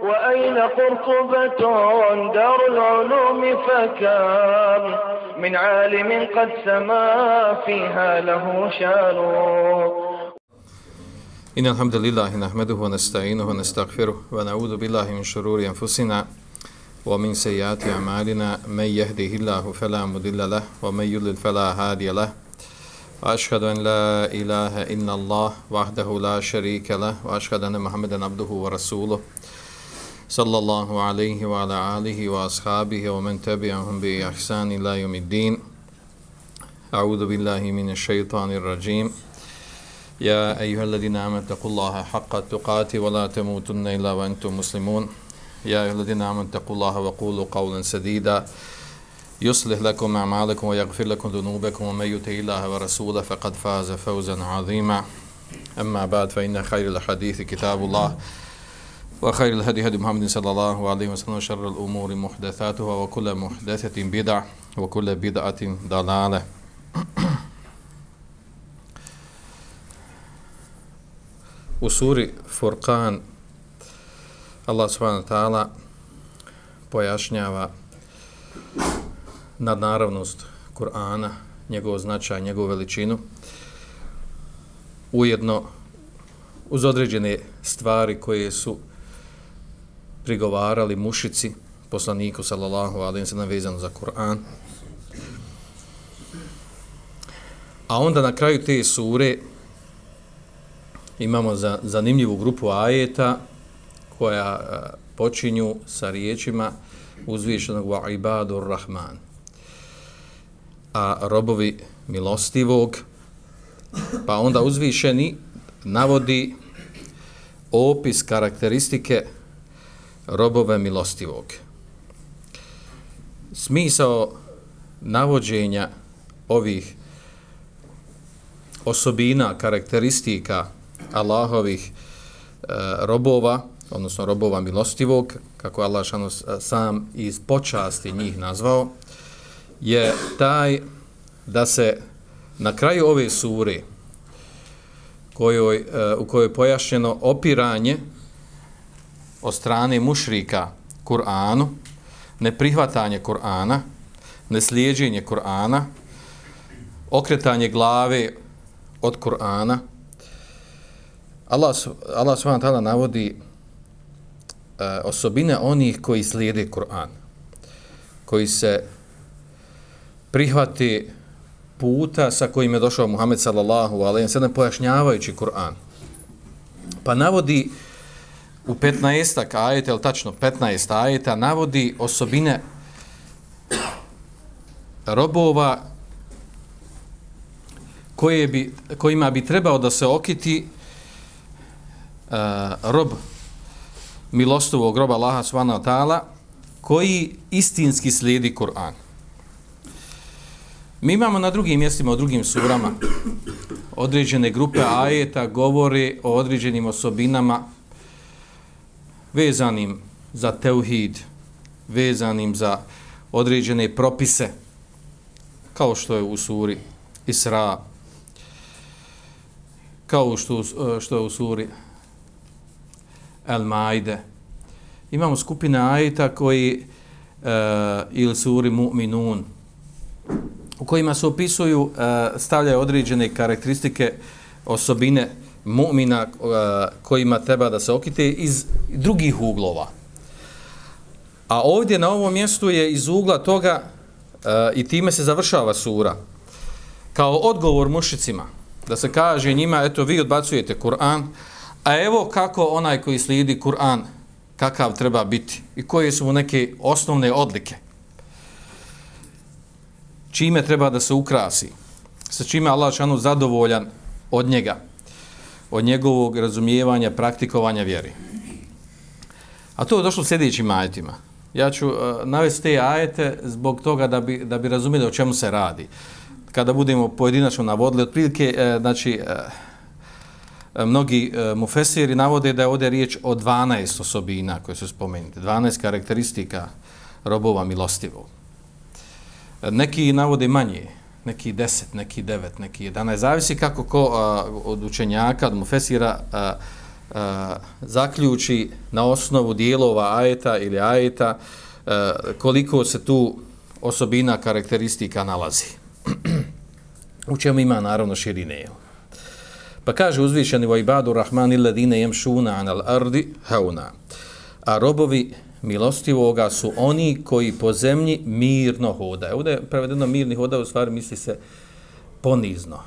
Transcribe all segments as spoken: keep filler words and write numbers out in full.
وأين قرطبة دار العلوم فكم من عالم قد سما فيها له شان. إن الحمد لله نحمده ونستعينه ونستغفره ونعوذ بالله من شرور أنفسنا ومن سيئات أعمالنا من يهده الله فلا مضل له ومن يضلل فلا هادي له وأشهد أن لا إله إلا الله وحده لا شريك له وأشهد أن محمدا عبده ورسوله صلى الله عليه وعلى آله وأصحابه ومن تبعهم بإحسان إلى يوم الدين. أعوذ بالله من الشيطان الرجيم. يا أيها الذين آمنوا اتقوا الله حق تقاته ولا تموتن إلا وأنتم مسلمون. يا أيها الذين آمنوا اتقوا الله وقولوا قولا سديدا يصلح لكم أعمالكم ويغفر لكم ذنوبكم ومن يطع الله ورسوله فقد فاز فوزا عظيما. أما بعد فإن خير الحديث كتاب الله وخير الهدي هدي محمد صلى الله عليه وسلم وشر الأمور محدثاتها وكل محدثة بدعة وكل بدعة ضلالة. U suri Furqan Allah subhanahu wa ta'ala pojašnjava nadnaravnost Kur'ana, njegov značaj, njegovu veličinu, ujedno uz određene stvari koje su prigovarali mušici poslaniku sallallahu alejhi ve sellem vezano za Kur'an. A onda na kraju te sure imamo za, zanimljivu grupu ajeta koja a, počinju sa riječima uzvišenog wa ibadur rahman, a robovi milostivog, pa onda uzvišeni navodi opis karakteristike robove milostivog. Smisao navođenja ovih osobina, karakteristika Allahovih e, robova, odnosno robova milostivog, kako Allah šano sam iz počasti njih nazvao, je taj da se na kraju ove sure kojoj, e, u kojoj je pojašnjeno opiranje od strane mušrika Kur'anu, neprihvatanje Kur'ana, neslijeđenje Kur'ana, okretanje glave od Kur'ana, Allah, Allah subhanahu wa ta'ala navodi uh, osobine onih koji slijede Kur'an, koji se prihvati puta sa kojim je došao Muhammed sallallahu alejhi ve sellem pojašnjavajući Kur'an. Pa navodi u petnaestak ajeta, ili tačno petnaest ajeta, navodi osobine robova koje bi, kojima bi trebao da se okiti Uh, rob milostivog roba Allaha subhanahu wa ta'ala koji istinski slijedi Kur'an. Mi imamo na drugim mjestima, u drugim surama određene grupe ajeta govori o određenim osobinama vezanim za teuhid, vezanim za određene propise, kao što je u suri Isra, kao što, što je u suri Al-Maide. Imamo skupine ajeta koji uh, ili suri Mu'minun u kojima se opisuju, uh, stavljaju određene karakteristike osobine mu'mina uh, kojima treba da se okite iz drugih uglova. A ovdje na ovom mjestu je iz ugla toga uh, i time se završava sura. Kao odgovor mušicima, da se kaže njima, eto vi odbacujete Kur'an, a evo kako onaj koji slijedi Kur'an, kakav treba biti i koje su mu neke osnovne odlike. Čime treba da se ukrasi, sa čime Allah šanu zadovoljan od njega, od njegovog razumijevanja, praktikovanja vjeri. A to je došlo u sljedećim ajetima. Ja ću uh, navesti te ajete zbog toga da bi, da bi razumjeli o čemu se radi. Kada budemo pojedinačno navodili, otprilike, uh, znači, uh, mnogi uh, mufesiri navode da je ovdje riječ o dvanaest osobina koje su spomenute, dvanaest karakteristika robova milostivog. Neki navode manje, neki deset, neki devet, neki jedanaest, zavisi kako ko uh, od učenjaka, od mufesira uh, a, zaključi na osnovu dijelova ajeta ili ajeta a, koliko se tu osobina karakteristika nalazi. U čemu ima naravno širine. Pa kaže uzvišeni wa ibadu rahmani alladine yamshuna 'alal ardi hauna. A robovi milostivoga su oni koji po zemlji mirno hodaju. Ovdje je prevedeno mirni hodaju, u stvari misli se ponizno.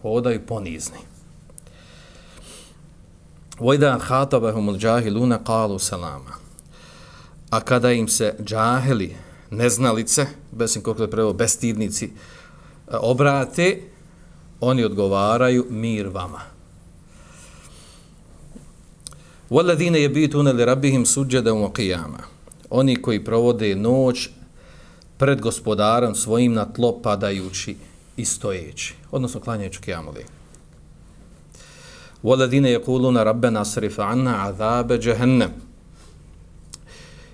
Hodaju ponizni. وَإِذَا خَاطَبَهُمُ الْجَاهِلُونَ قَالُوا سَلَامًا. A kada im se džahili, neznalice, bez koliko je preveo, bestidnici, obrate, oni odgovaraju mir vama. وَالَّذِينَ يَبِيتُونَ لِرَبِّهِمْ سُجَّدًا وَقِيَامًا. Oni koji provode noć pred gospodarom svojim na tlo padajući i stojeći, odnosno klanjajući kijamu lejl. وَالَّذِينَ يَقُولُونَ رَبَّنَا اصْرِفْ عَنَّا عَذَابَ جَهَنَّمَ.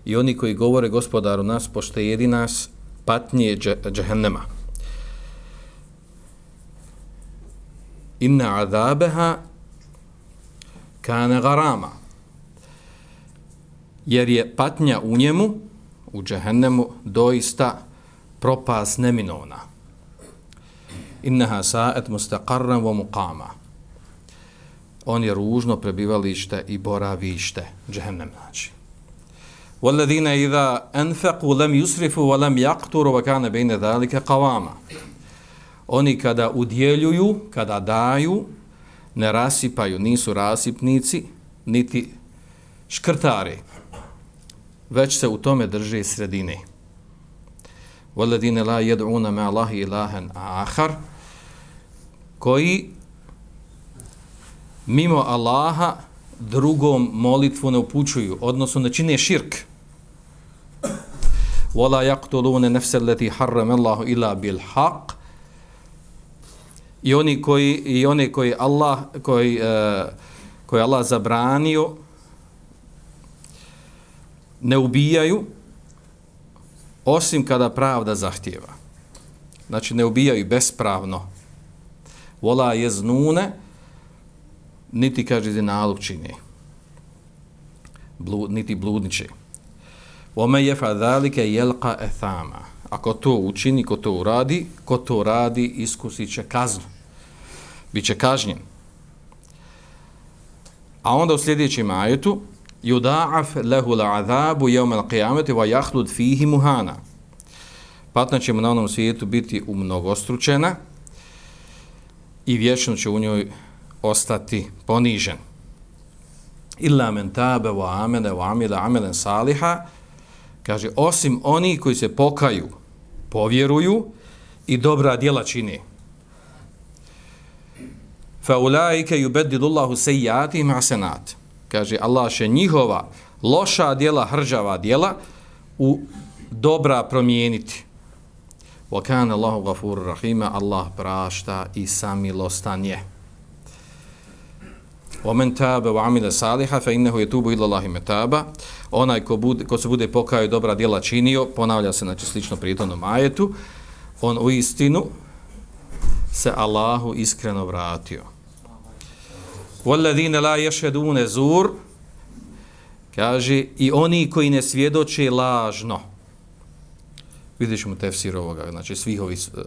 I oni koji govore gospodaru nas poštedi nas patnje džehennema. Inna azabeha kane garama. Jer je patnja u njemu, u džehennemu, doista propast neminovna. Innaha sa'at mustaqarran wa muqama. On je ružno prebivalište i boravište, džehennem znači. وَالَّذِينَ إِذَا أَنْفَقُوا لَمْ يُسْرِفُوا وَلَمْ يَقْتُرُوا وَكَانَ بَيْنَ ذَلِكَ قَوَامًا. Oni kada udjeljuju, kada daju, ne rasipaju, nisu rasipnici, niti škrtari, već se u tome drže sredine. وَالَّذِينَ لَا يَدْعُونَ مَا اللَّهِ إِلَهًا آخَرَ. Koji mimo Allaha drugom molitvu ne upućuju, odnosno ne čine širk. وَلَا يَقْتُلُونَ نَفْسَ الَّتِي حَرَّمَ اللَّهُ إِلَّا بِالْحَقِّ. I oni koji i one koji Allah koji uh, koji Allah zabranio ne ubijaju osim kada pravda zahtijeva. Znači ne ubijaju bespravno. Vola jeznune, niti kaže zinaluk čini. Blud, niti bludniče. Ome jefa dhalike jelqa ethama. Ako to učini, ko to uradi, ko to radi, iskusit će kaznu. Biće kažnjen. A onda u sljedećem ajetu yuda'af lahu al'azabu yawm al-qiyamati wa yakhlud fihi muhana. Patnja će mu na onom svijetu biti umnogostručena i vječno će u njoj ostati ponižen. Illa men tabe wa amene wa amila amelen saliha. Kaže, osim oni koji se pokaju, povjeruju i dobra djela čine. Fa ulaike yubeddilullahu sayyi'atihim hasanat. Kaže, Allah će njihova loša djela, hrđava djela u dobra promijeniti. Wa kana Allahu ghafurur rahima. Allah prašta i samilostan je. وَمَنْ تَابَ وَعَمِلَ صَالِحًا فَإِنَّهُ يَتُوبُ إِلَى اللَّهِ مَتَابًا. Onaj ko, bude, ko se bude pokajao dobra djela činio, ponavlja se znači slično prijetnom ajetu, on u istinu se Allahu iskreno vratio. وَالَّذِينَ لَا يَشْهَدُونَ زُورَ. Kaže, i oni koji ne svjedoče lažno. Vidjet ćemo tefsir ovoga, znači svih ovih, uh,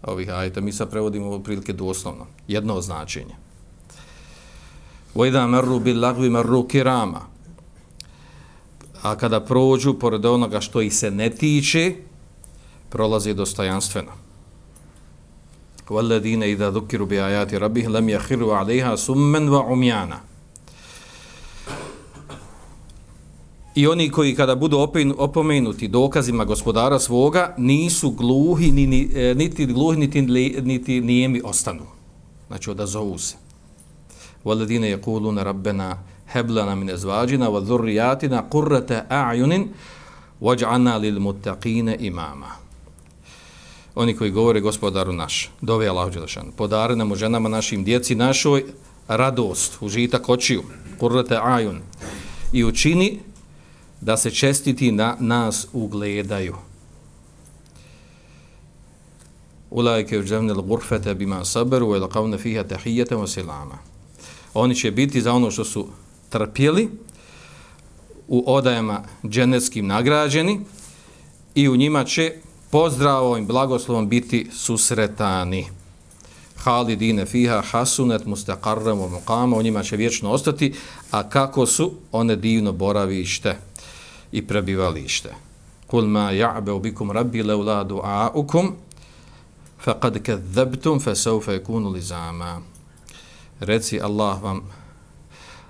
ovih ajeta. Mi sad prevodimo ovo prilike doslovno. Jedno značenje. وَإِذَا مَرُّوا بِاللَّغْوِ مَرُّوا كِرَامًا. A kada prođu pored onoga što ih se ne tiče, prolazi dostojanstveno. وَالَّذِينَ إِذَا ذُكِّرُوا بِآيَاتِ رَبِّهِمْ لَمْ يَخِرُّوا عَلَيْهَا سُمًّا وَعُمْيَانًا. I oni koji kada budu opomenuti dokazima gospodara svoga, nisu gluhi, niti gluhi, niti, niti nijemi ostanu. Znači odazovu se. وَالَّذِينَ يَقُولُونَ رَبَّنَا هَبْ لَنَا مِنْ أَزْوَاجِنَا وَذُرِّيَّاتِنَا قُرَّةَ أَعْيُنٍ وَاجْعَلْنَا لِلْمُتَّقِينَ إِمَامًا. Oni koji govore gospodaru naš, dove Allahu dželešanu, podari nam u ženama našim, djeci našoj radost, užitak očiju, qurrata a'yun, i učini da se čestiti na nas ugledaju. Ulaike yujzavna al-ghurfata bima sabaru wa yalqawna fiha tahiyatan wa salama. Oni će biti za ono što su trpjeli u odajama dženeckim nagrađeni i u njima će pozdravom i blagoslovom biti susretani. Halidine fiha hasunet mustaqarram wa muqama, u njima će vječno ostati, a kako su one divno boravište i prebivalište. Kul ma ja'beu bikum rabbi laula du'aukum faqad kadzabtum fasawfa yakunu lizama. Reci Allah vam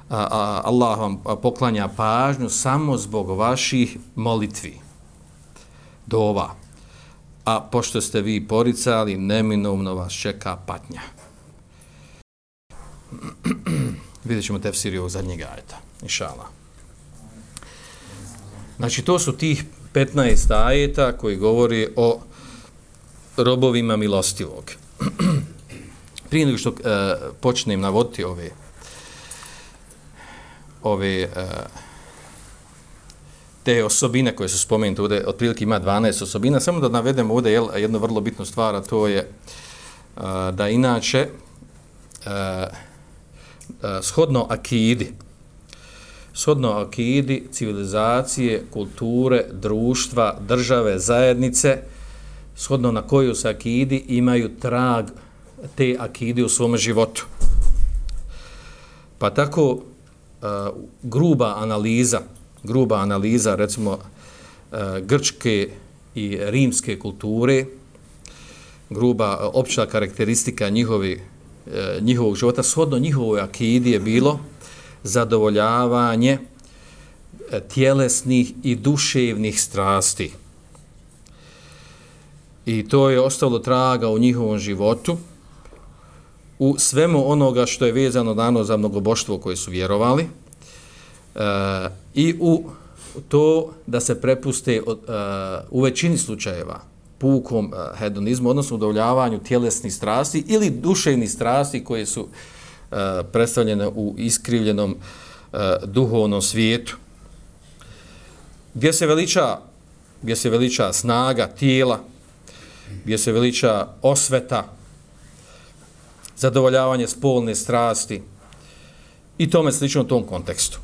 a, a, Allah vam poklanja pažnju samo zbog vaših molitvi, dova. A pošto ste vi poricali, neminovno vas čeka patnja. Vidjet ćemo tefsir ovog zadnjeg ajeta, inšallah. Znači, to su tih petnaest ajeta koji govori o robovima milostivog. Prije nego što uh, počnem navoditi ove ove uh, te osobine koje su spomenute ovdje, otprilike ima dvanaest osobina, samo da navedemo ovdje jel, jednu vrlo bitnu stvar, a to je uh, da inače uh, uh, shodno akidi, shodno akidi, civilizacije, kulture, društva, države, zajednice, shodno na koju se akidi imaju trag te akide u svom životu. Pa tako uh, gruba analiza, gruba analiza recimo uh, grčke i rimske kulture, gruba uh, opća karakteristika njihovi, uh, njihovog života, shodno njihovoj akidi je bilo zadovoljavanje uh, tjelesnih i duševnih strasti. I to je ostalo traga u njihovom životu, u svemu onoga što je vezano dano za mnogoboštvo koje su vjerovali, e, i u to da se prepuste od, e, u većini slučajeva pukom e, hedonizmu, odnosno udovoljavanju tjelesnih strasti ili duševnih strasti koje su e, predstavljene u iskrivljenom e, duhovnom svijetu. Gdje se veliča, gdje se veliča snaga tijela, gdje se veliča osveta, zadovoljavanje spolne strasti i tome slično u tom kontekstu.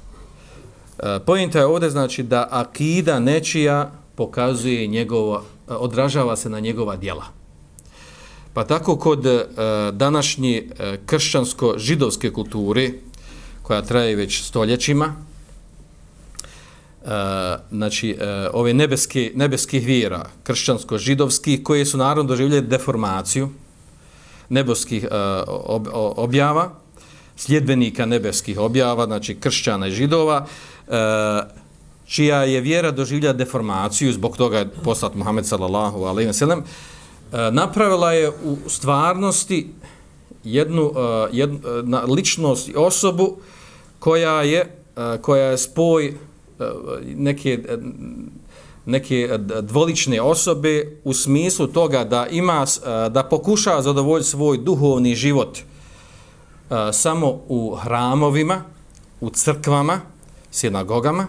E, Pojenta je ovdje znači da akida nečija pokazuje njegova, odražava se na njegova djela. Pa tako kod e, današnje e, kršćansko-židovske kulture, koja traje već stoljećima, e, znači e, ove nebeske, nebeskih vjera, kršćansko-židovskih, koje su naravno doživjeli deformaciju nebeskih uh, ob, objava, sljedbenika nebeskih objava, znači kršćana i židova, uh, čija je vjera doživlja deformaciju, zbog toga je poslat Muhammed sallallahu alejhi ve sellem, uh, napravila je u stvarnosti jednu, uh, jednu na ličnost i osobu koja je, uh, koja je spoj uh, neke uh, neke dvolične osobe u smislu toga da ima, da pokušava zadovoljiti svoj duhovni život samo u hramovima, u crkvama, sinagogama,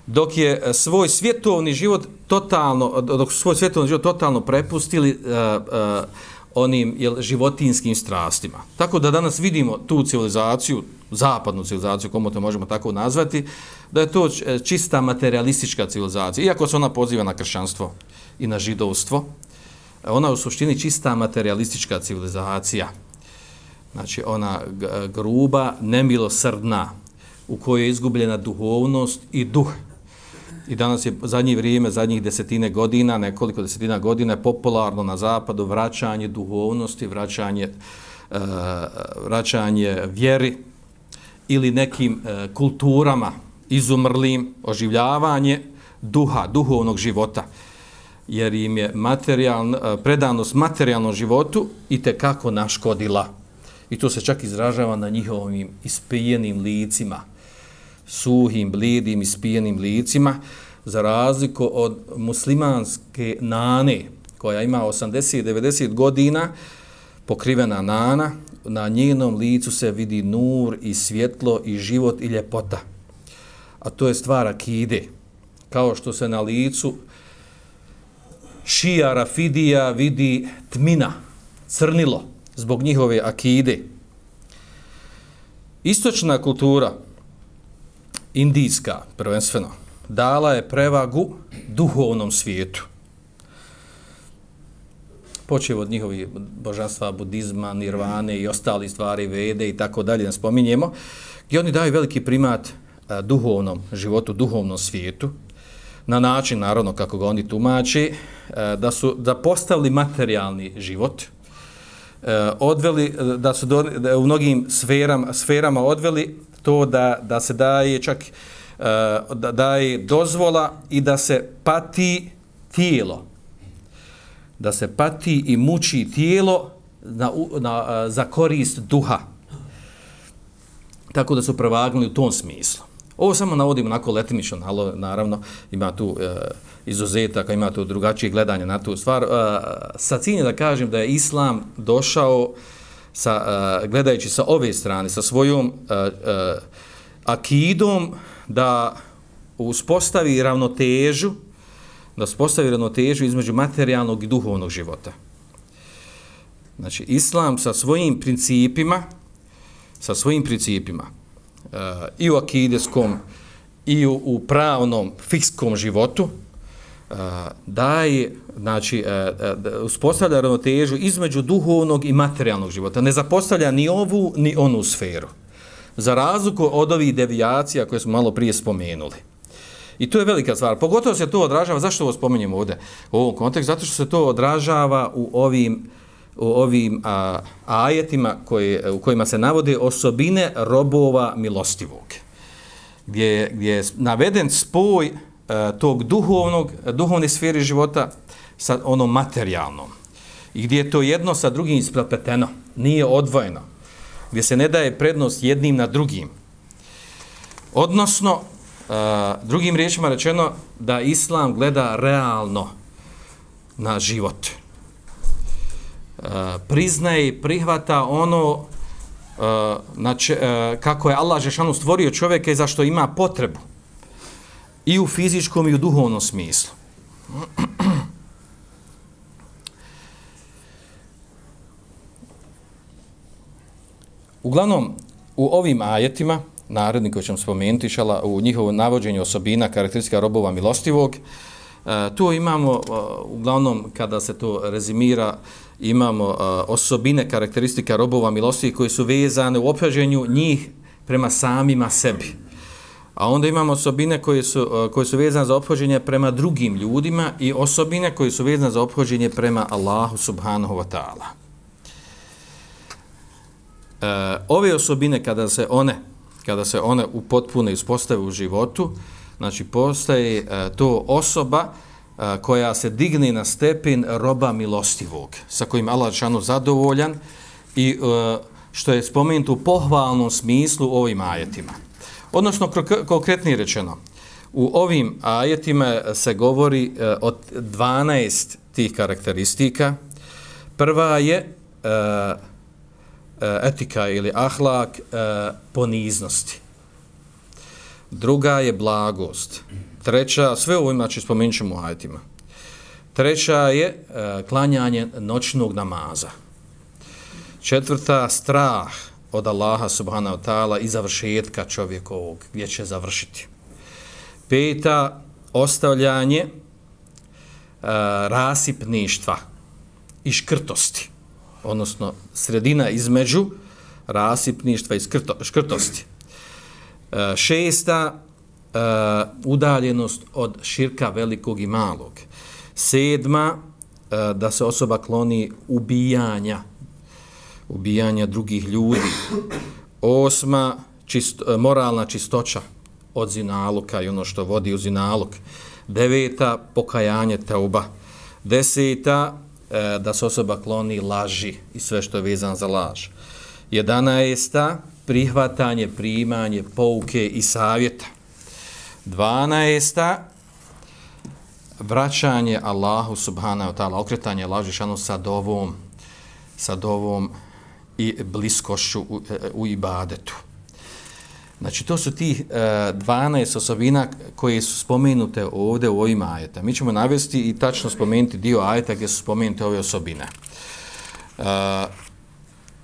dok je svoj svjetovni život totalno, dok su svoj svjetovni život totalno prepustili onim jel, životinskim strastima. Tako da danas vidimo tu civilizaciju, zapadnu civilizaciju, komu to možemo tako nazvati, da je to čista materialistička civilizacija. Iako se ona poziva na kršćanstvo i na židovstvo, ona je u suštini čista materialistička civilizacija. Znači ona gruba, nemilosrdna, u kojoj je izgubljena duhovnost i duh. I danas je zadnje vrijeme, zadnjih desetine godina, nekoliko desetina godina je popularno na zapadu vraćanje duhovnosti, vraćanje, uh, vraćanje vjeri ili nekim uh, kulturama izumrlim, oživljavanje duha, duhovnog života. Jer im je materijaln, uh, predanost materijalnom životu i tekako naškodila. I to se čak izražava na njihovim ispijenim licima, suhim, blijedim, ispijenim licima, za razliku od muslimanske nane, koja ima osamdeset do devedeset godina, pokrivena nana, na njenom licu se vidi nur i svjetlo i život i ljepota. A to je stvar akide. Kao što se na licu šija Rafidija vidi tmina, crnilo, zbog njihove akide. Istočna kultura, indijska prvenstveno, dala je prevagu duhovnom svijetu. Počeo od njihovih božanstva, budizma, nirvane i ostali stvari, vede i tako dalje, ne spominjemo, gdje oni daju veliki primat a, duhovnom životu, duhovnom svijetu, na način, naravno, kako ga oni tumači, a, da su da postavili materijalni život, a, odveli, da su do, da u mnogim sferama, sferama odveli to da, da se daje čak a, da daje dozvola i da se pati tijelo, da se pati i muči tijelo na, na, za korist duha. Tako da su prevagnuli u tom smislu. Ovo samo navodimo onako letimično, naravno, ima tu e, izuzetaka, ima tu drugačije gledanje na tu stvar. E, sa ciljem da kažem da je Islam došao, sa, e, gledajući sa ove strane, sa svojom e, e, akidom, da uspostavi ravnotežu, da uspostavi ravnotežu između materijalnog i duhovnog života. Znači, Islam sa svojim principima, sa svojim principima uh, i u akideskom i u, u pravnom, fikskom životu uh, daje, znači, uh, uspostavlja ravnotežu između duhovnog i materijalnog života. Ne zapostavlja ni ovu, ni onu sferu. Za razliku od ovih devijacija koje smo malo prije spomenuli. I to je velika stvar. Pogotovo se to odražava, zašto ovo spominjemo ovdje u ovom kontekstu? Zato što se to odražava u ovim, u ovim a, ajetima koje, u kojima se navode osobine robova milostivog. Gdje, gdje je naveden spoj a, tog duhovnog, duhovne sfere života sa onom materijalnom. I gdje je to jedno sa drugim isprepleteno, nije odvojeno. Gdje se ne daje prednost jednim na drugim. Odnosno, Uh, drugim riječima rečeno da Islam gleda realno na život. Uh, priznaje i prihvata ono uh, znači, uh, kako je Allah dželešanu stvorio čovjeka i zašto ima potrebu. I u fizičkom i u duhovnom smislu. Uglavnom, u ovim ajetima naredni koji ćemo spomenuti šala, u njihovom navođenju osobina, karakteristika robova milostivog. E, tu imamo, e, uglavnom, kada se to rezimira, imamo e, osobine, karakteristika robova milostivih koji su vezane u ophođenju njih prema samima sebi. A onda imamo osobine koje su, e, koje su vezane za ophođenje prema drugim ljudima i osobine koje su vezane za ophođenje prema Allahu subhanahu wa ta'ala. E, ove osobine, kada se one kada se one upotpune i uspostave u životu, znači postaje e, to osoba e, koja se digne na stepen roba milostivog, sa kojim Allah dželešanu zadovoljan i e, što je spomenuto u pohvalnom smislu u ovim ajetima. Odnosno, konkretnije rečeno, u ovim ajetima se govori e, od dvanaest tih karakteristika. Prva je e, etika ili ahlak e, poniznosti. Druga je blagost. Treća, sve ovo znači spomenut ćemo u ajetima. Treća je e, klanjanje noćnog namaza. Četvrta, strah od Allaha subhanahu wa ta'ala i završetka čovjekovog, gdje će završiti. Peta, ostavljanje e, rasipništva i škrtosti. Odnosno sredina između rasipništva i skrto, škrtosti. E, šesta, e, udaljenost od širka velikog i malog. Sedma, e, da se osoba kloni ubijanja, ubijanja drugih ljudi. Osma, čist, moralna čistoća od zinaluka i ono što vodi u zinaluk. Deveta, pokajanje teuba. Deseta, da se osoba kloni laži i sve što je vezano za laž. Jedanaesta, prihvatanje, primanje, pouke i savjeta. Dvanaesta, vraćanje Allahu subhanahu wa ta'ala, okretanje laži šanu sa dovom, sa dovom i bliskošću u, u ibadetu. Znači, to su tih e, dvanaest osobina koje su spomenute ovdje u ovim ajetama. Mi ćemo navesti i tačno spomenuti dio ajeta gdje su spomenute ove osobine. E,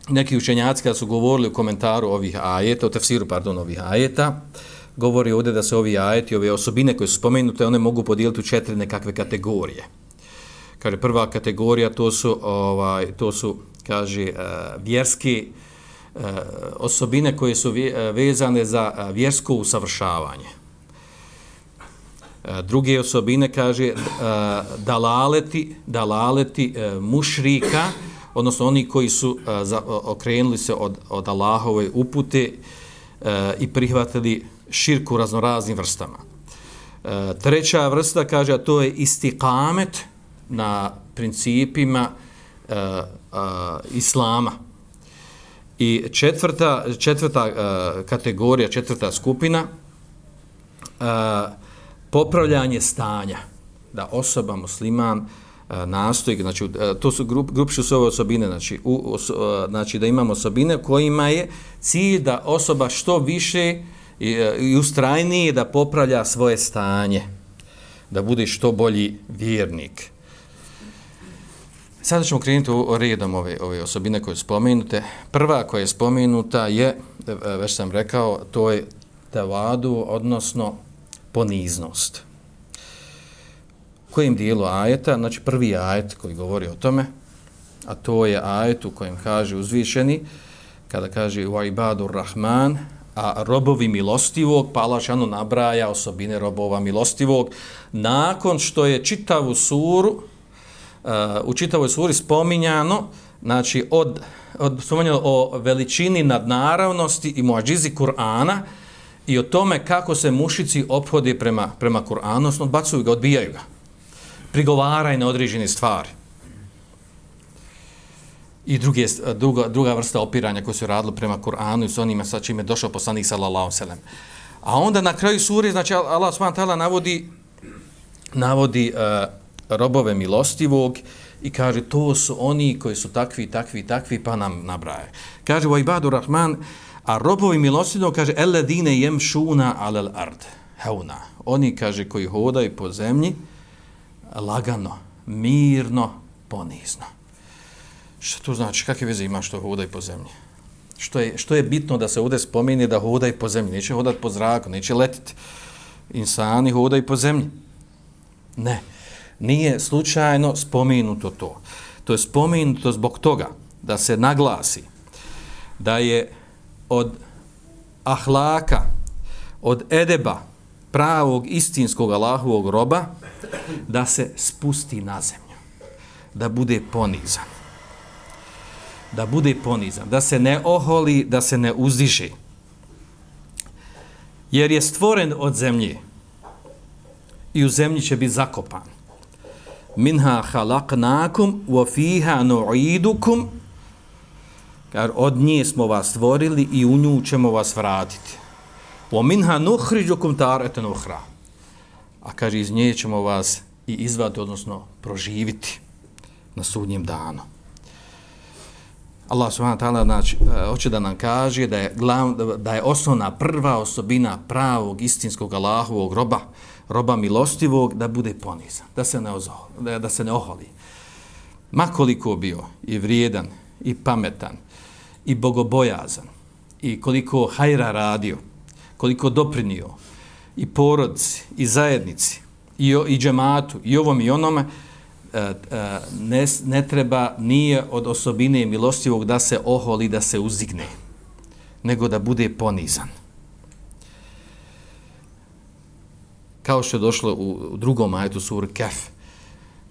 neki učenjaci kada su govorili u komentaru ovih ajeta, u tefsiru, pardon, ovih ajeta, govori ovdje da se ovi ajeti, ove osobine koje su spomenute, one mogu podijeliti u četiri nekakve kategorije. Kaže, prva kategorija, to su, ovaj, to su kaže, vjerske osobine koje su vezane za vjersko usavršavanje. Druge osobine, kaže, dalaleti, dalaleti mušrika, odnosno oni koji su okrenuli se od, od Allahove upute i prihvatili širku raznoraznim vrstama. Treća vrsta, kaže, a to je istikamet na principima islama. I četvrta, četvrta uh, kategorija, četvrta skupina, uh, popravljanje stanja. Da osoba, musliman, uh, nastoji, znači, uh, to su grup, grupišu su ove osobine, znači, u, uh, znači da imamo osobine kojima je cilj da osoba što više i, uh, i ustrajnije da popravlja svoje stanje, da bude što bolji vjernik. Sada ćemo krenuti redom ove, ove osobine koje su spomenute. Prva koja je spomenuta je, već sam rekao, to je tevadu, odnosno poniznost. U kojem dijelu ajeta? Znači prvi ajet koji govori o tome, a to je ajet u kojem kaže uzvišeni, kada kaže wa ibadur rahman, a robovi milostivog, pa Allah šanu nabraja osobine robova milostivog, nakon što je čitavu suru, Uh, u čitavoj suri spominjano, znači od, od spominjano o veličini nadnaravnosti i muadžizi Kur'ana i o tome kako se mušici ophode prema, prema Kur'anu, odnosno odbacuju ga, odbijaju ga, prigovaraju na određene stvari. I druge, druga, druga vrsta opiranja koje su radili prema Kur'anu i s onima sa čime je došao poslanik sallallahu alejhi ve sellem. A onda na kraju suri, znači Allah subhanahu wa ta'ala navodi, navodi uh, robove milostivog i kaže to su oni koji su takvi, takvi, takvi, pa nam nabraje. Kaže wa ibadur rahman, a robovi milostivog, kaže alladine yamshuna alal ard hauna. Oni, kaže, koji hodaju po zemlji lagano, mirno, ponizno. Što to znači? Kakve veze ima što hodaju po zemlji? Što je, što je bitno da se ovdje spomeni da hodaju po zemlji? Neće hodati po zraku, neće letiti. Insani hodaju po zemlji. Ne. Nije slučajno spomenuto to. To je spomenuto zbog toga da se naglasi da je od ahlaka, od edeba, pravog istinskog Allahovog roba, da se spusti na zemlju, da bude ponizan. Da bude ponizan, da se ne oholi, da se ne uzdiže. Jer je stvoren od zemlje i u zemlji će biti zakopan. Minha khalaqnakum wa fiha nu'idukum, ker od nje smo vas stvorili i u nju ćemo vas vratiti. Wa minha nukhrijukum taratan ukhra, a kaže iz nje ćemo vas i izvaditi, odnosno proživiti na sudnjem danu. Allah subhanahu wa ta'ala znači, hoće da nam kaže da je, glav, da je osnovna prva osobina pravog istinskog Allahovog roba, roba milostivog, da bude ponizan, da se ne, ozo, da, da se ne oholi. Makoliko bio i vrijedan, i pametan, i bogobojazan, i koliko hajra radio, koliko doprinio, i porodici, i zajednici, i, i džematu, i ovom i onome, ne, ne treba, nije od osobine milostivog da se oholi, da se uzigne, nego da bude ponizan. Kao što je došlo u drugom ajetu suri Kaf.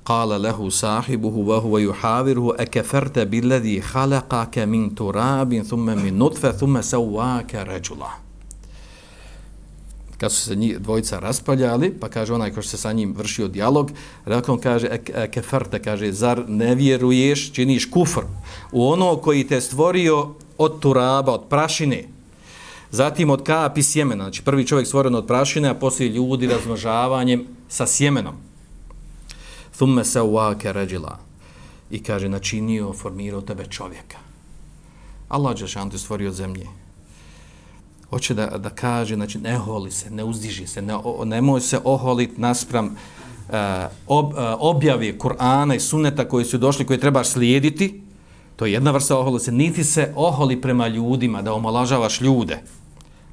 Qala lahu sahibuhu wa huwa yuhawiruhu akafarta billadhi khalaqaka min turabin thumma min nutfa thumma sawwaka rajula. Kad su se njih dvojica raspaljali, pa kaže onaj ko se sa njim vršio dijalog, rekao kaže akafarta, kaže zar ne vjeruješ, činiš kufr u ono koji te stvorio od turaba, od prašine, zatim od kapi sjemena, znači prvi čovjek stvoren od prašine, a poslije ljudi razmnožavanjem sa sjemenom. Thumme sawwaka rajula, i kaže načinio, formirao tebe čovjeka. Allah dželešanu te stvorio od zemlje. Hoće da, da kaže, znači ne oholi se, ne uzdiži se, ne, nemoj se oholiti naspram uh, ob, uh, objave Kur'ana i sunneta koji su došli, koje trebaš slijediti, To je jedna vrsta oholosti. Niti se oholi prema ljudima, da omalažavaš ljude,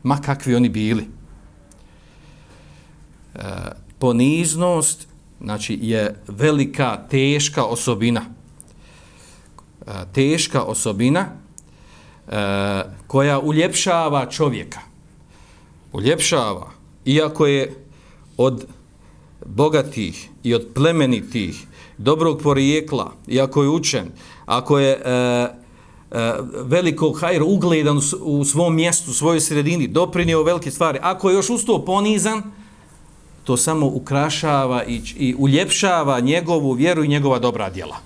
ma kakvi oni bili. E, poniznost, znači, je velika, teška osobina. E, teška osobina e, koja uljepšava čovjeka. Uljepšava, iako je od bogatih i od plemenitih, dobrog porijekla, iako je učen, ako je e, e, velikog hajra ugledan u svom mjestu, u svojoj sredini, doprinio velike stvari, ako je još usto ponizan, to samo ukrašava i, i uljepšava njegovu vjeru i njegova dobra djela.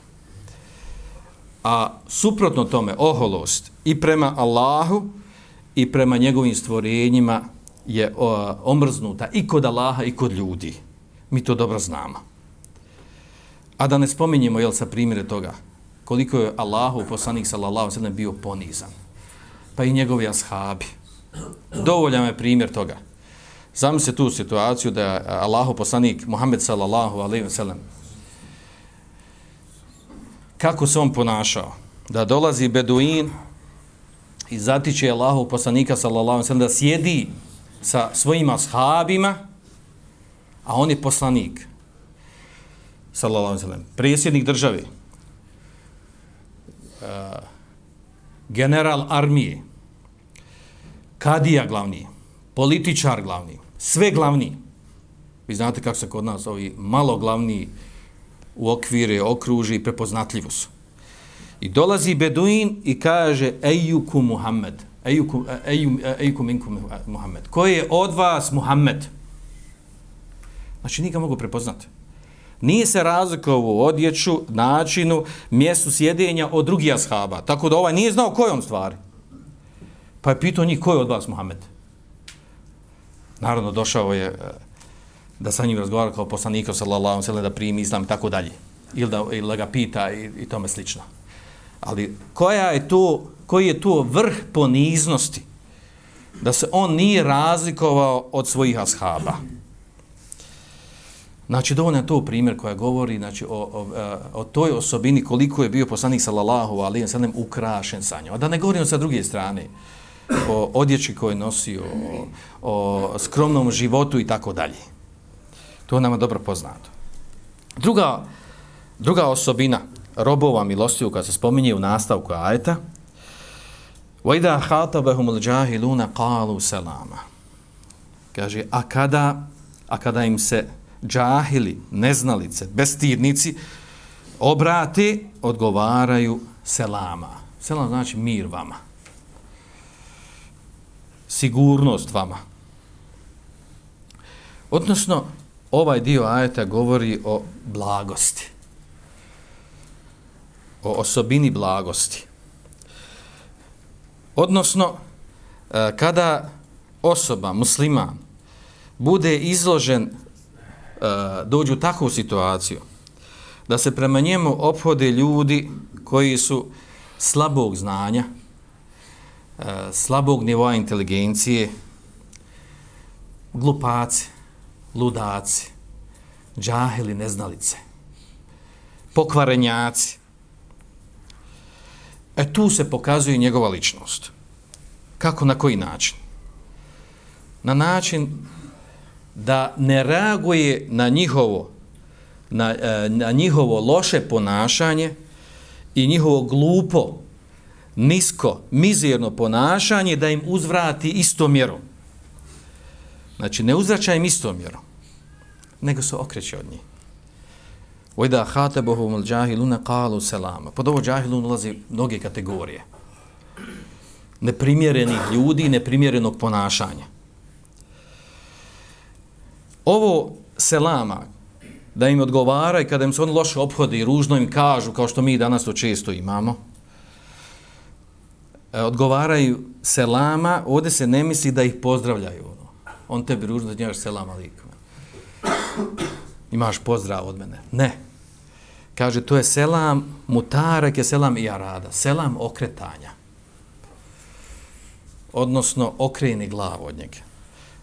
A suprotno tome, oholost i prema Allahu i prema njegovim stvorenjima je o, omrznuta i kod Allaha i kod ljudi. Mi to dobro znamo. A da ne spominjemo, jel, sa primjere toga, koliko je Allahu poslanik sallallahu alejhi ve sellem bio ponizan. Pa i njegovi ashabi. Dovoljan je primjer toga. Zamislite tu situaciju da je Allahu poslanik Muhammed sallallahu alejhi ve sellem, kako se on ponašao, da dolazi beduin i zatiče Allahu poslanika sallallahu alejhi ve sellem da sjedi sa svojim ashabima, a on je poslanik sallallahu alejhi ve sellem, predsjednik države, uh, general armije, kadija glavni, političar glavni, sve glavni. Vi znate kako se kod nas ovi malo glavni u okvire, okruži i prepoznatljivo su. I dolazi beduin i kaže ejukum Muhammed, ejukum, ejukum, ejukum minkum Muhammed. Ko je od vas Muhammed? Znači, nije ga mogu prepoznati. Nije se razlikovao u odjeću, načinu, mjestu sjedenja od drugih ashaba. Tako da ovaj nije znao ko je on stvari. Pa je pitao njih ko je od vas Muhammed. Naravno, došao je da sa njim razgovara kao poslanika sallallahu alejhi ve sellem da primi islam i tako dalje. Ili da, ili da ga pita i, i tome slično. Ali koja je to, koji je to vrh poniznosti da se on nije razlikovao od svojih ashaba. Znači, dovoljno je to primjer koja govori, znači, o, o, o toj osobini koliko je bio poslanik sallallahu alejhi ve sellem ukrašen sa njom. A da ne govorimo sa druge strane o odjeći koje nosi, o, o skromnom životu i tako dalje. To je nama dobro poznato. Druga, druga osobina robova milostivog koja se spominje u nastavku ajeta, وَإِذَا خَاطَبَهُمُ الْجَاهِلُونَ قَالُوا سَلَامًا. Kaže, a kada, a kada im se džahili, neznalice, bestidnici obrate, odgovaraju selama. Selam znači mir vama. Sigurnost vama. Odnosno, ovaj dio ajeta govori o blagosti. O osobini blagosti. Odnosno, kada osoba, musliman, bude izložen, dođu u takvu situaciju, da se prema njemu ophode ljudi koji su slabog znanja, slabog nivoa inteligencije, glupaci, ludaci, džahili, neznalice, pokvarenjaci. E tu se pokazuje njegova ličnost. Kako, na koji način? Na način da ne reaguje na njihovo, na, na njihovo loše ponašanje i njihovo glupo, nisko, mizerno ponašanje, da im uzvrati istom mjerom. Znači, ne uzvraća im istom mjerom, nego se okreće od njih. وَإِذَا خَاطَبَهُمُ الْجَاهِلُونَ قَالُوا سَلَامًا. Pod ovo džahilun ulazi mnoge kategorije. Neprimjerenih ljudi i neprimjerenog ponašanja. Ovo selama, da im odgovara i kada im se on loše ophode i ružno im kažu, kao što mi danas to često imamo, odgovaraju selama, ovdje se ne misli da ih pozdravljaju. On tebi ružno da njaš selam alikum. Imaš pozdrav od mene. Ne. Kaže, to je selam mutarek, je selam i arada. Selam okretanja. Odnosno, okreni glavu od njega.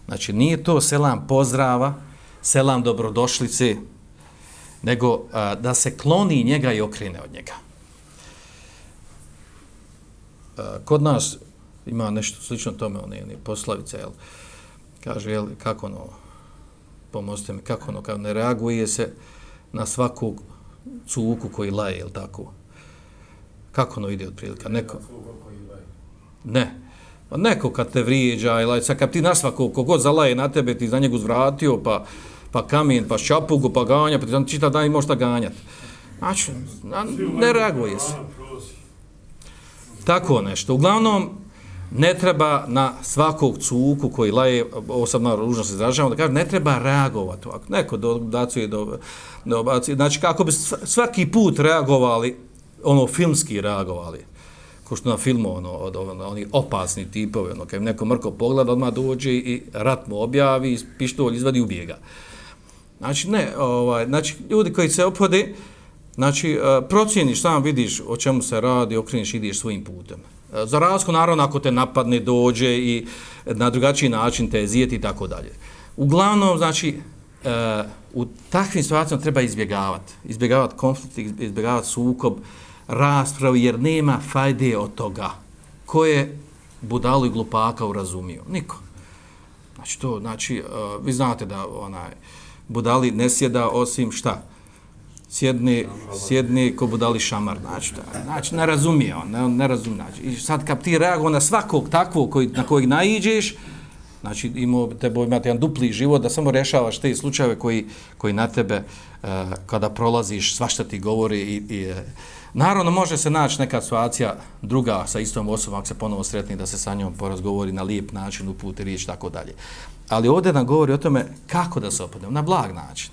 Znači, nije to selam pozdrava, selam dobrodošlice, nego a, da se kloni njega i okrene od njega. kod nas ima nešto slično tome, one, one poslovice, jel? Kaže, jel, kako ono, pomozite mi, kako ono, kao ne reaguje se na svakog cuku koji laje, jel tako? Kako ono ide otprilike? Neko, ne, pa neko kad te vrijeđa, jel, sad kad ti na svakog, kogod zalaje na tebe, ti za njegu zvratio, pa, pa kamen, pa šapugu, pa ganja, pa ti znam čitav dan i možeš da ganjati. Znači, ne reaguje se. Tako nešto. Uglavnom, ne treba na svakog cuku koji laje, ovo sad malo ružno se izražavamo, da kaže, ne treba reagovati. Ako neko dobacuje, do, dobacuje, znači kako bi svaki put reagovali, ono filmski reagovali, ko što na filmu, ono, od, ono, oni opasni tipovi, ono, kad neko mrko pogleda, odmah dođe i rat mu objavi, pištolj izvadi i ubijega. Znači, ne, ovaj, znači, ljudi koji se ophode, znači, procijeniš, sam vidiš o čemu se radi, okreniš, ideš svojim putem. Za razliku, naravno, ako te napadne, dođe i na drugačiji način te zijeti i tako dalje. Uglavnom, znači, u takvim situacijama treba izbjegavati. Izbjegavati konflikt, izbjegavati sukob, raspravu, jer nema fajde od toga. Ko je budalu i glupaka urazumio? Niko. Znači, to, znači, vi znate da onaj budali ne sjeda osim šta? Sjedni, sjedni ko budali šamar, znači, znači ne razumije on, ne, ne razumije. Znači. I sad kad ti reagovao na svakog takvog koji, na kojeg naiđeš, znači imao tebe imati jedan dupli život da samo rešavaš te slučajeve koji, koji na tebe uh, kada prolaziš svašta ti govori i, i uh, naravno može se naći neka situacija druga sa istom osobom ako se ponovo sretni da se sa njom porazgovori na lijep način, uputi riječ, tako dalje. Ali ovdje nam govori o tome kako da se ophodimo, na blag način.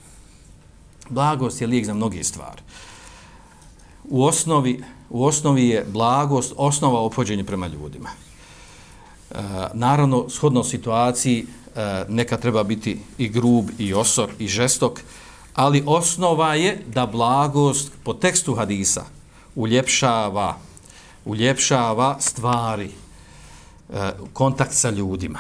Blagost je lijek za mnoge stvari. U osnovi, u osnovi je blagost osnova ophođenja prema ljudima. E, naravno, shodno situaciji e, neka treba biti i grub, i osor, i žestok, ali osnova je da blagost po tekstu hadisa uljepšava, uljepšava stvari, e, kontakt sa ljudima.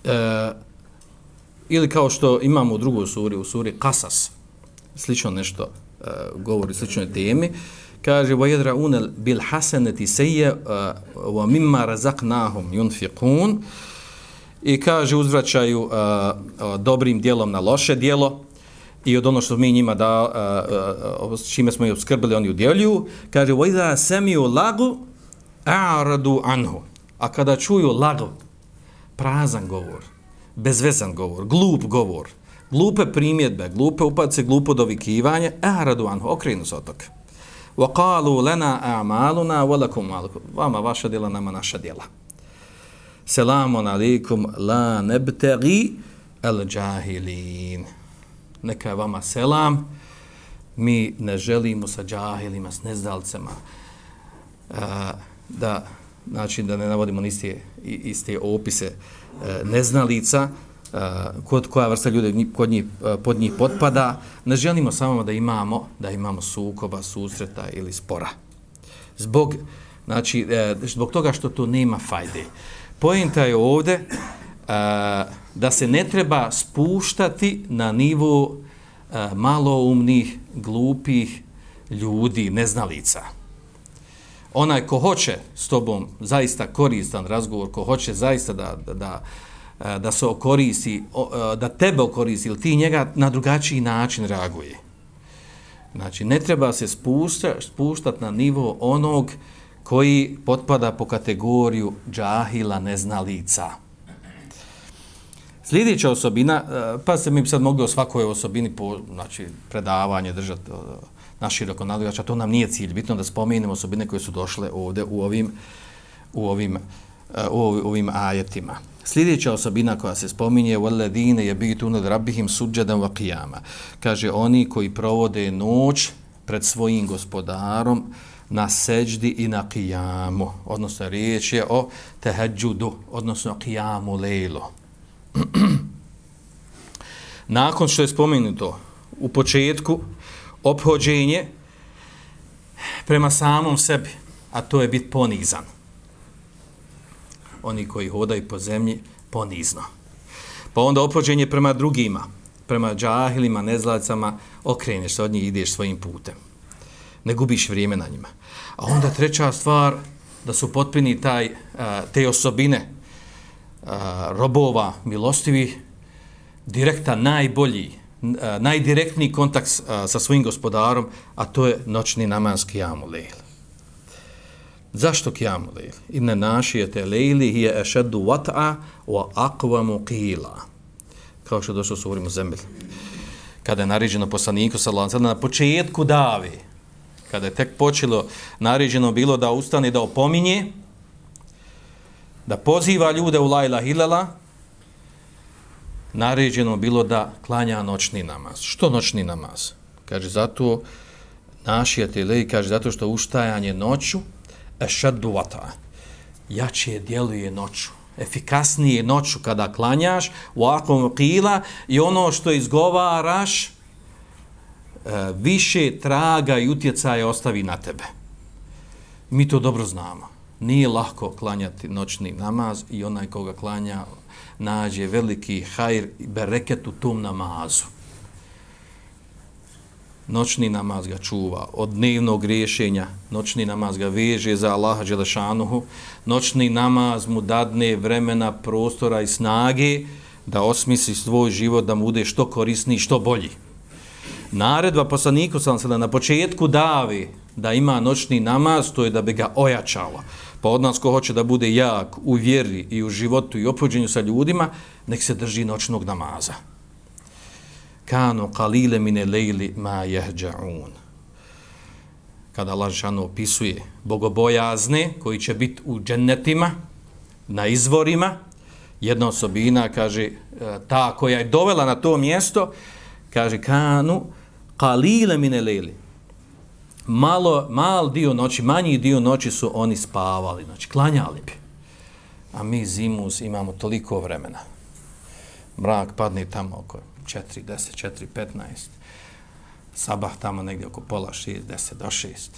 E, ili kao što imamo u drugoj suri, u suri Kasas, slično nešto e, govori, sličnoj temi, kaže وَيَدْرَعُونَ بِالْحَسَنَةِ سَيَّ وَمِمَّا رَزَقْنَاهُمْ يُنْفِقُونَ i kaže uzvraćaju uh, uh, dobrim djelom na loše djelo i od ono što mi njima da, uh, uh, čime smo ih obskrbili, oni udjeljuju. Kaže وَإِذَا سَمِيُوا لَغُ أَعْرَضُوا عَنْهُ a kada čuju lagv, prazan govor, bezvezan govor, glup govor, glupe primjedbe, glupe upadce, glupo dovikivanje, أَعْرَضُوا عَنْهُ, okrenu se od toga. وَقَالُوا لَنَا أَعْمَالُنَا وَلَكُمْ مَالُكُمْ, vama vaša djela, nama naša djela. Selamun alaikum la nebtegi al džahilin. Neka je vama selam, mi ne želimo sa džahilima, s nezdalcema, a, da, znači da ne navodimo iste, iste opise a, neznalica, a, kod koja vrsta ljudi kod njih, pod njih potpada, ne želimo samo da imamo, da imamo sukoba, susreta ili spora. Zbog, znači, zbog toga što to nema fajde. Poenta je ovdje a, da se ne treba spuštati na nivo a, maloumnih, glupih ljudi, neznalica. Onaj ko hoće s tobom zaista koristan razgovor, ko hoće zaista da, da, da, da se okoristi, da tebe okoristi ili ti njega na drugačiji način reaguje. Znači, ne treba se spušta, spuštati na nivo onog koji potpada po kategoriju džahila, neznalica. Sljedeća osobina, pa se mi bi sad mogli o svakoj osobini po, znači, predavanje držati naširoko nadaljača, to nam nije cilj. Bitno da spomenemo osobine koje su došle ovdje u ovim, u ovim, u ovim ajetima. Sljedeća osobina koja se spominje وَالَّذِينَ يَبِيتُونَ لِرَبِّهِمْ سُجَّدًا وَقِيَامًا. Kaže, oni koji provode noć pred svojim gospodarom na seđdi i na qiyamu, odnosno riječ je o tehadžudu, odnosno qiyamu lejlu. Nakon što je spomenuto u početku ophođenje prema samom sebi, a to je biti ponizan. Oni koji hodaju po zemlji ponizno. Pa onda ophođenje prema drugima, prema džahilima, nezlacama, okreneš se od njih i ideš svojim putem. Ne gubiš vrijeme na njima. A onda treća stvar, da su potpuni taj, te osobine robova milostivih, direktan, najbolji, najdirektniji kontakt sa svojim gospodarom, a to je noćni namaz kijamu lejl. Zašto kijamu lejl? Inne našijete lejli hije ešeddu vat'a wa aqvamu qila. Kao što je došlo u suri Muzemmil. Kada je naređeno poslaniku sallallahu alejhi ve sellem na početku dave, kada je tek počelo, naređeno bilo da ustane, da opominje, da poziva ljude u la ilaha illallah, naređeno bilo da klanja noćni namaz. Što noćni namaz? Kaže, zato našijete lejli, kaže, zato što ustajanje noću ešeddu vat'a, jače djeluje noću, efikasnije noću kada klanjaš, u akvom qila, i ono što izgovaraš više traga i utjecaja ostavi na tebe. Mi to dobro znamo. Nije lahko klanjati noćni namaz i onaj koga klanja nađe veliki hajr i bereket u tom namazu. Noćni namaz ga čuva od dnevnog griješenja, noćni namaz ga veže za Allaha dželešanuhu, noćni namaz mu dadne vremena, prostora i snage da osmisli svoj život, da mu bude što korisniji, što bolji. Naredba poslaniku sallallahu alejhi ve sellem na početku davi da ima noćni namaz, to je da bi ga ojačalo. Pa od nas ko hoće da bude jak u vjeri i u životu i ophođenju sa ljudima, nek se drži noćnog namaza. Kanu qalile mine lejli ma jehđa'un. Kada Allah dželešanu opisuje bogobojazne koji će biti u džennetima, na izvorima, jedna osobina, kaže, ta koja je dovela na to mjesto, kaže, kanu qalile mine lejli. Malo, mal dio noći, manji dio noći su oni spavali, znači klanjali bi. A mi zimus imamo toliko vremena. Mrak padne tamo oko četiri deset, četiri petnaest. Sabah tamo negdje oko pola šest, deset do šest.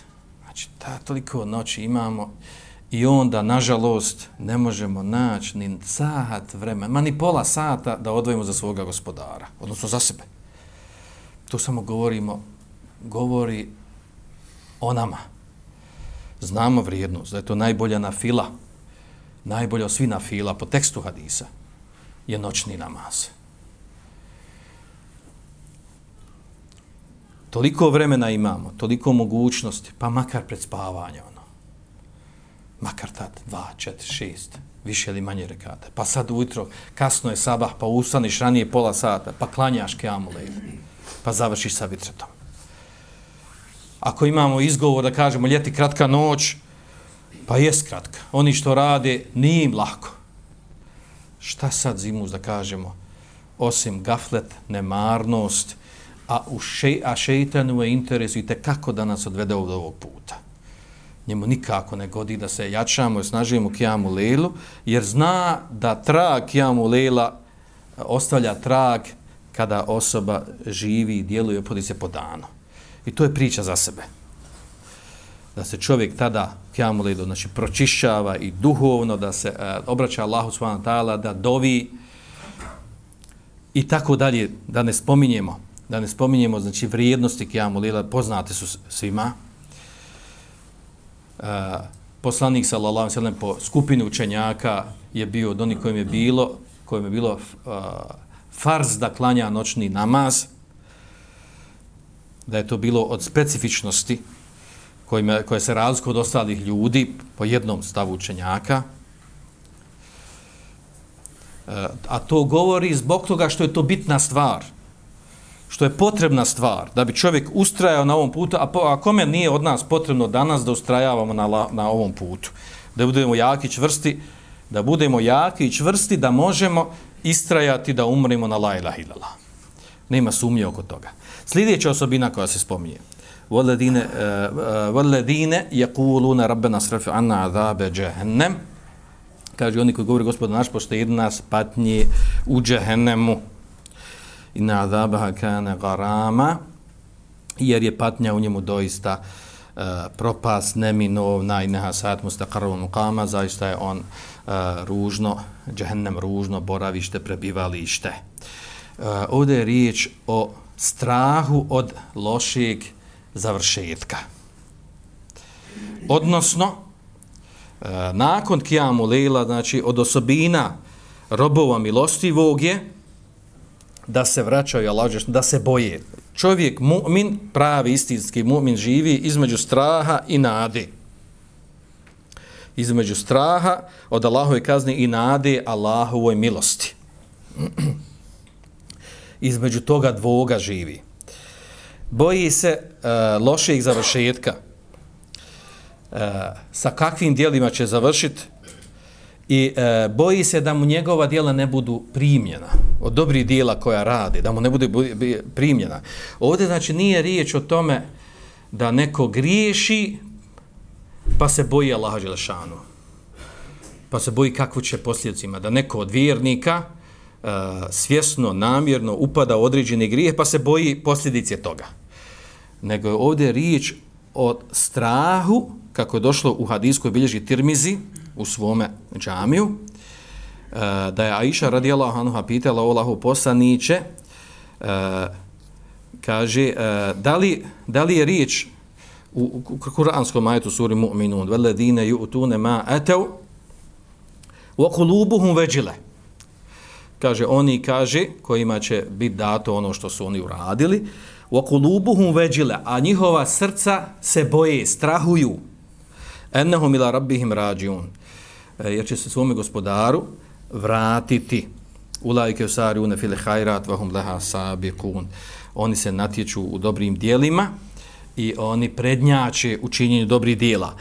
Znači, ta toliko noći imamo i onda, nažalost, ne možemo naći ni sat vremena, ma ni pola sata da odvojimo za svoga gospodara, odnosno za sebe. To samo govorimo, govori o nama. Znamo vrijednost, da je to najbolja nafila, najbolja od svih nafila po tekstu hadisa, je noćni namaz. Toliko vremena imamo, toliko mogućnosti, pa makar pred spavanje, ono. Makar tad, dva, četiri, šest, više ili manje rekate. Pa sad ujutro, kasno je sabah, pa ustaniš ranije pola sata, pa klanjaš kijamu lejl, pa završiš sa vitretom. Ako imamo izgovor da kažemo ljeti kratka noć, pa jest kratka. Oni što rade, nije im lako. Šta sad zimus da kažemo? Osim gaflet, nemarnost, a, u še, a šeitanu je interes i tekako da nas odvede od ovog puta. Njemu nikako ne godi da se jačamo i snažimo kijamu lejlu, jer zna da trag kijamu lejla ostavlja trag kada osoba živi i djeluje, opodi se po danu. I to je priča za sebe. Da se čovjek tada kijamu lejlu, znači pročišćava i duhovno, da se e, obraća Allahu subhanahu wa ta'ala, da dovi i tako dalje, da ne spominjemo, da ne spominjemo, znači vrijednosti kijamu lejla, poznate su svima. E, poslanik sallallahu alejhi ve sellem po skupini učenjaka je bio od onih kojim je bilo, kojim je bilo uh, farz da klanja noćni namaz, da je to bilo od specifičnosti kojima, koje se razlikuje od ostalih ljudi po jednom stavu učenjaka. E, a to govori zbog toga što je to bitna stvar, što je potrebna stvar, da bi čovjek ustrajao na ovom putu, a, po, a kome nije od nas potrebno danas da ustrajavamo na, la, na ovom putu, da budemo jaki i čvrsti, da budemo jaki i čvrsti, da možemo istrajati da umremo na la ilaha illallah. Nema sumnje oko toga. Sljedeća osobina koja se spominje. Walladine walladine yaquluna rabbana srif anna azabe jahannam. Kaže oni koji govore Gospod naš poštedi nas patnje u džehennemu. Inna azabaha kana garama, jer je patnja u njemu doista uh, propast neminovna i neha sat mustaqarrun muqama, zaista je on uh, ružno, džehennem ružno boravište, prebivalište. ovdje je riječ o strahu od lošeg završetka. Odnosno, nakon Kijamu Lejla, znači od osobina robova milostivog je da se vraćaju Allahu, da se boje. Čovjek mu'min, pravi istinski mu'min živi između straha i nade. Između straha od Allahove kazne i nade Allahovoj milosti. Između toga dvoga živi. Boji se uh, lošeg završetka. Uh, sa kakvim djelima će završiti i uh, boji se da mu njegova djela ne budu primljena od dobrih djela koja radi, da mu ne bude primljena. Ovdje znači nije riječ o tome da neko griješi pa se boji Allaha dželešanu, pa se boji kakvu će posljedice ima, da neko od vjernika uh, svjesno, namjerno upada u određeni grijeh pa se boji posljedice toga. Nego je ovdje riječ o strahu, kako je došlo u hadijskoj bilježi Tirmizi u svome džamiju, uh, da je Aisha radijallahu anha pitala o Allahu poslaniće, uh, kaže, uh, da, li, da li je riječ u, u kuranskom ajetu suri Mu'minun, veledine yu'tune ma atav wa qulubuhum vajila. Kaže, oni kaže, kojima će biti dato ono što su oni uradili, wa qulubuhum vajila, a njihova srca se boje, strahuju, ennahum ila rabbihim rađiun, jer će se svome gospodaru vratiti. Ulaike usariune fil khairat wa hum laha sabiqun. Oni se natječu u dobrim djelima i oni prednjače u činjenju dobrih djela.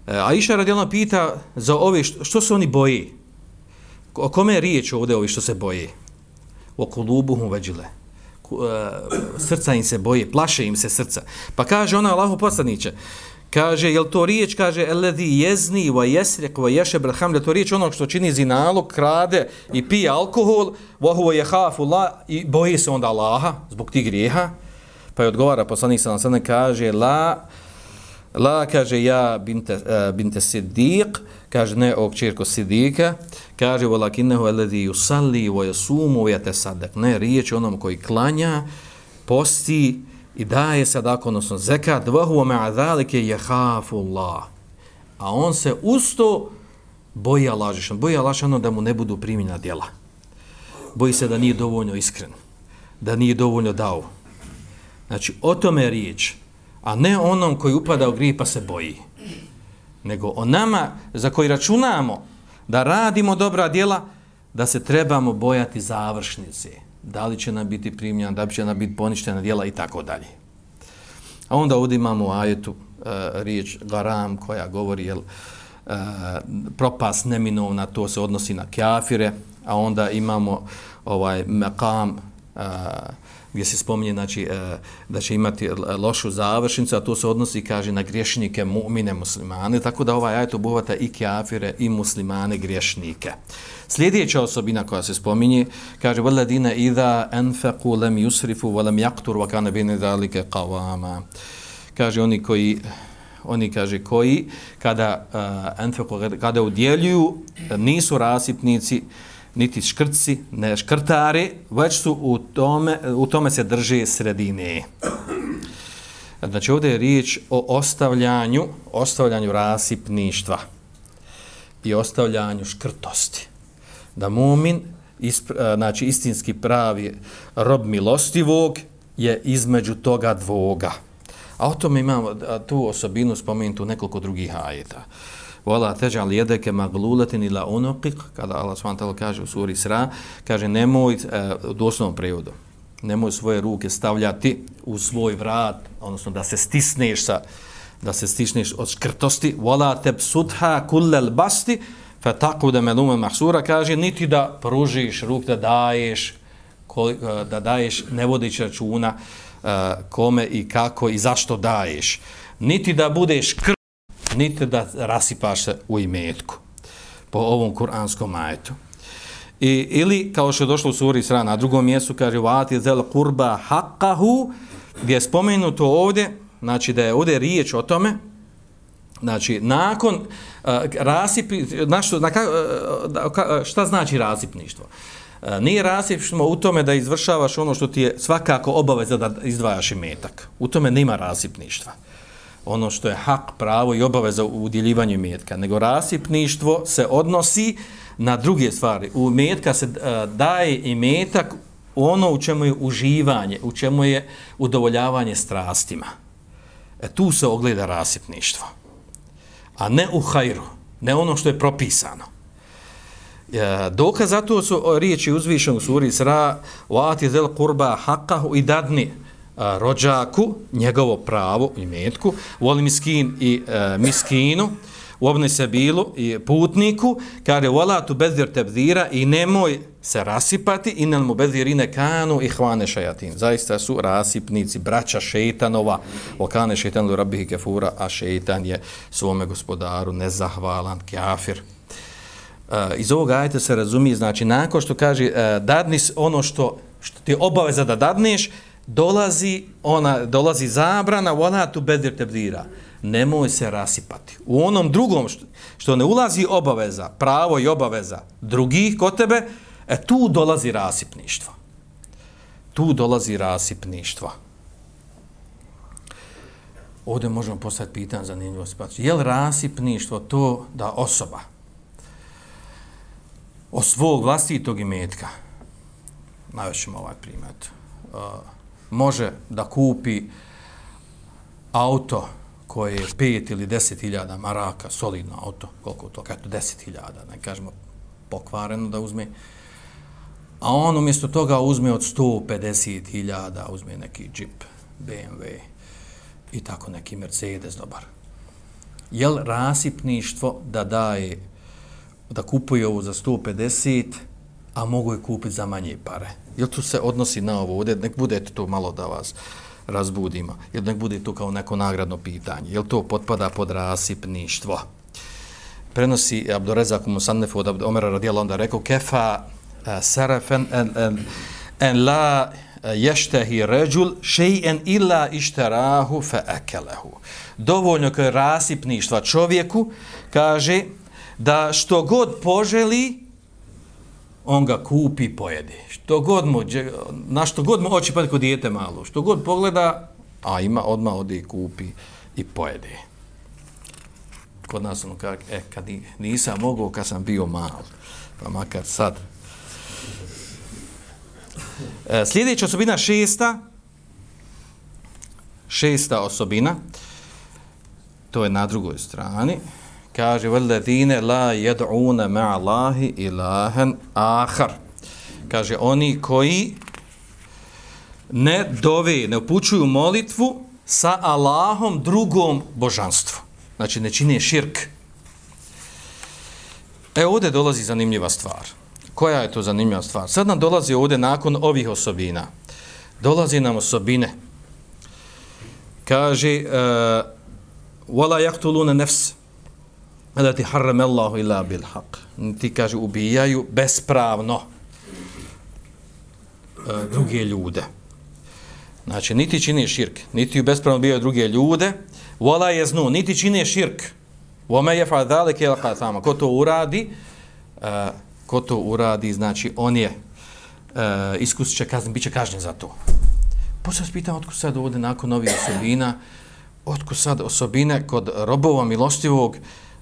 Aisha radijallahu pita za ove što, što se oni boje. O kome je riječ ovdje ovi što se boje? O kulubuhum vajile. Srca im se boje, plaše im se srca. Pa kaže ona Allahu poslaniće, kaže, jel to riječ, kaže, eledi jezni wa yesriq wa yashab al-khamr, to riječ onog što čini zinalog, krade i pije alkohol, wa huwa yakhafu Allah, i boji se onda Allaha zbog tih grijeha. Pa je odgovara poslanik sallallahu alejhi ve sellem, kaže, la la kaže ja binte uh, binte Siddiq, kaže ne o kćerko Sidika, kaže walakinnahu alladhi yusalli wa yasumu wa yatasaddaq, ne riječ onom koji klanja, posti i daje sadako, odnosno zekat, wa huwa ma'a zalika yakhafu Allah, a on se usto boji Allaha, boji Allaha da mu ne budu primljena djela, boji se da nije dovoljno iskren, da nije dovoljno dao. Znači, o tome je riječ, a ne onom koji upada u grijeh pa se boji, nego o nama za koji računamo da radimo dobra djela, da se trebamo bojati završnice, da li će nam biti primljena, da li će nam biti poništena djela i tako dalje. A onda ovdje imamo u ajetu uh, riječ garam koja govori jel, uh, propast neminovna, to se odnosi na kafire, a onda imamo ovaj maqam uh, gdje se spominje znači, da će imati lošu završnicu, a to se odnosi, kaže, na griješnike, mu'mine, muslimane, tako da ovaj ajet obuhvata i kafire i muslimane, griješnike. Sljedeća osobina koja se spominje, kaže, وَالَّذِينَ إِذَا أَنْفَقُوا لَمْ يُسْرِفُوا وَلَمْ يَقْتُرُوا وَكَانَ بَيْنَ ذَلِكَ قَوَامًا. Kaže, oni koji, oni kaže, koji kada, uh, kada udjeljuju, nisu rasipnici, niti škrci, ne škrtari, već su u tome, u tome se drže sredine. Znači ovdje je riječ o ostavljanju, ostavljanju rasipništva i ostavljanju škrtosti. Da mumin, ispra, znači istinski pravi rob milostivog, je između toga dvoga. A o tome imamo tu osobinu spomenutu nekoliko drugih ajeta. Wala taj'al yadaka maghlulatan ila unuqik, kada Allah subhanahu wa ta'ala kaže u suri Isra, kaže nemoj, u doslovnom prevodu, nemoj svoje ruke stavljati u svoj vrat, odnosno da se stisneš sa, da se stisneš od škrtosti, wala tabsutha kullal basti fataqud maluman mahsura, kaže niti da pružiš ruke, da daješ, da daješ ne vodeći računa kome i kako i zašto daješ, niti da budeš kr niti da rasipaš se u imetku po ovom kuranskom ajetu. I, ili, kao što je došlo u suri Isra, na drugom mjestu, kaže vati zel kurba haqqahu, gdje je spomenuto ovdje, znači da je ovdje riječ o tome, znači nakon uh, rasipi, na što, na, uh, šta znači rasipništvo? Nije rasipništvo u tome da izvršavaš ono što ti je svakako obaveza da izdvajaš imetak. U tome nema rasipništva. Ono što je hak, pravo i obaveza u udjeljivanju imetka. Nego rasipništvo se odnosi na druge stvari. U imetka se daje imetak ono u čemu je uživanje, u čemu je udovoljavanje strastima. E, tu se ogleda rasipništvo. A ne u hajru, ne ono što je propisano. E, dokaz za to su riječi uzvišenog u suri Isra وَاتِ ذَلْ قُرْبَا حَقَّهُ i dadni a, rođaku, njegovo pravo, imetku, voli miskin i a, miskinu, u obne sebilu i putniku, kaže وَلَا تُبَذِّرْ تَبْذِيرًا i nemoj se rasipati, inel mubezirine kanu ihvane šajatin. Zaista su rasipnici, braća šeitanova, okane šeitan lu rabbihi kefura, a šeitan je svome gospodaru nezahvalan, kafir. Uh, iz ovog ajeta se razumije, znači, nakon što kaže uh, dadni ono što, što ti je obaveza da dadneš, dolazi, ona, dolazi zabrana, wala tubezir tebdira. Nemoj se rasipati. U onom drugom što, što ne ulazi obaveza, pravo i obaveza drugih kod tebe, e tu dolazi rasipništvo. Tu dolazi rasipništvo. Ovdje možemo postaviti pitanje za zanimljivo situaciju. Je li rasipništvo to da osoba od svog vlastitog imetka, navešćemo ovaj primjer, uh, može da kupi auto koje je pet ili deset hiljada maraka, solidno auto, koliko to, eto deset hiljada, ne kažemo pokvareno da uzme, a on umjesto toga uzme od sto pedeset hiljada, uzme neki džip, be em ve i tako neki Mercedes dobar. Je li rasipništvo da daje, da kupuje ovo za sto pedeset, a mogu je kupiti za manje pare? Je li to se odnosi na ovo? Ovdje nek bude to malo da vas razbudimo. Jer nek bude to kao neko nagradno pitanje. Je li to potpada pod rasipništvo? Prenosi Abdurezak Musannefu od Omera radijala onda rekao kefa sarafen en, en, en la ještehi ređul še'en illa išterahu fe ekelehu. Dovoljno kao rasipništva čovjeku kaže da što god poželi on ga kupi i pojede. Što god mu, na što god mu oči pade kod dijete malo, što god pogleda, a ima, odmah ode i kupi i pojede. Kod nas ono kaže, e, kad nisam mogao, kad sam bio mal, pa makar sad. E, sljedeća osobina šesta, šesta osobina, to je na drugoj strani, kaže veledine la yad'una ma'a Allahi ilahan akhar. Kaže oni koji ne dove, ne upućuju molitvu sa Allahom drugom božanstvu. Znači ne čine širk. E ovdje dolazi zanimljiva stvar. Koja je to zanimljiva stvar? Sad nam dolazi ovdje nakon ovih osobina. Dolazi nam osobine. Kaže wala yaqtuluna nafs allati harrama Allahu illa bil haqq. Ti kaže ubijaju bespravno e, druge ljude. Znači niti čine širk, niti bespravno ubijaju druge ljude, wala yaznu, niti čine širk. Wa ma yaf'al dhalika yalqa thama. Ko to uradi, e, ko to uradi, znači on je e, iskusit će kaznu, bit će kažnjen za to. Poslije se pitam otkud sad ovdje nakon ovih osobina, otkud sad osobine kod robova milostivog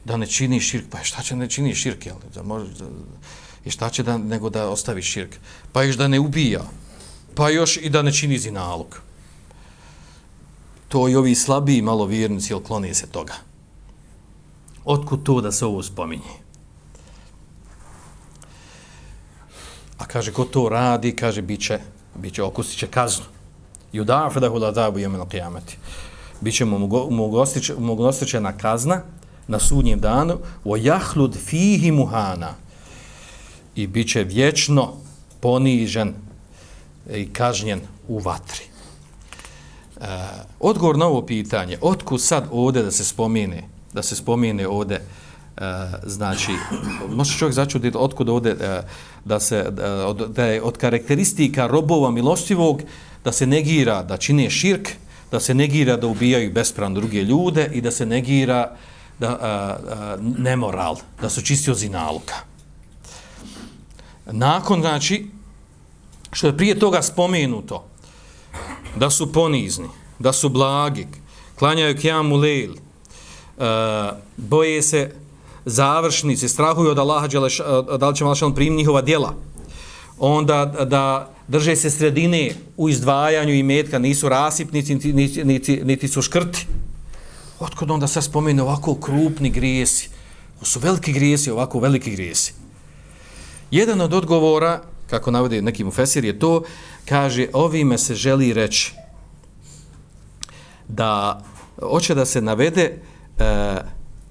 da ne čini širk, pa šta će ne čini širk, jel? Da može, da, i šta će da, nego da ostavi širk? Pa još da ne ubija, pa još i da ne čini zinalog. To i ovi slabiji malo vjernici, jel, klone se toga. Otkud to da se ovo spominje? A kaže, ko to radi, kaže, bit će, bit će okusit će kaznu. Yudafu lahu l'adabu yawm al-qiyamati. Biće mu mogostičena kazna na sudnjem danu, o jahlud fihi muhana, i bit će vječno ponižen i kažnjen u vatri. E, odgovor na ovo pitanje, otkud sad ovdje da se spomene, da se spomene ovdje, e, znači, može čovjek začuditi otkud ovdje e, da se, da, od, da je od karakteristika robova milostivog da se negira da čine širk, da se negira da ubijaju bespravno druge ljude i da se negira da, a, a, nemoral, da su čisti od zinaluka. nakon, znači, što je prije toga spomenuto, da su ponizni, da su blagi, klanjaju kijamu lejl, uh, boje se završnici, strahuju od Allaha, da li će Allah primiti njihova djela, onda da drže se sredine u izdvajanju imetka, nisu rasipnici, niti, niti, niti, niti su škrti. Otkud onda sad spomenu ovako krupni grijesi? Ovo su veliki grijesi, ovako veliki grijesi. Jedan od odgovora, kako navode neki mufesir, je to, kaže, ovime se želi reći da hoće da se navede e,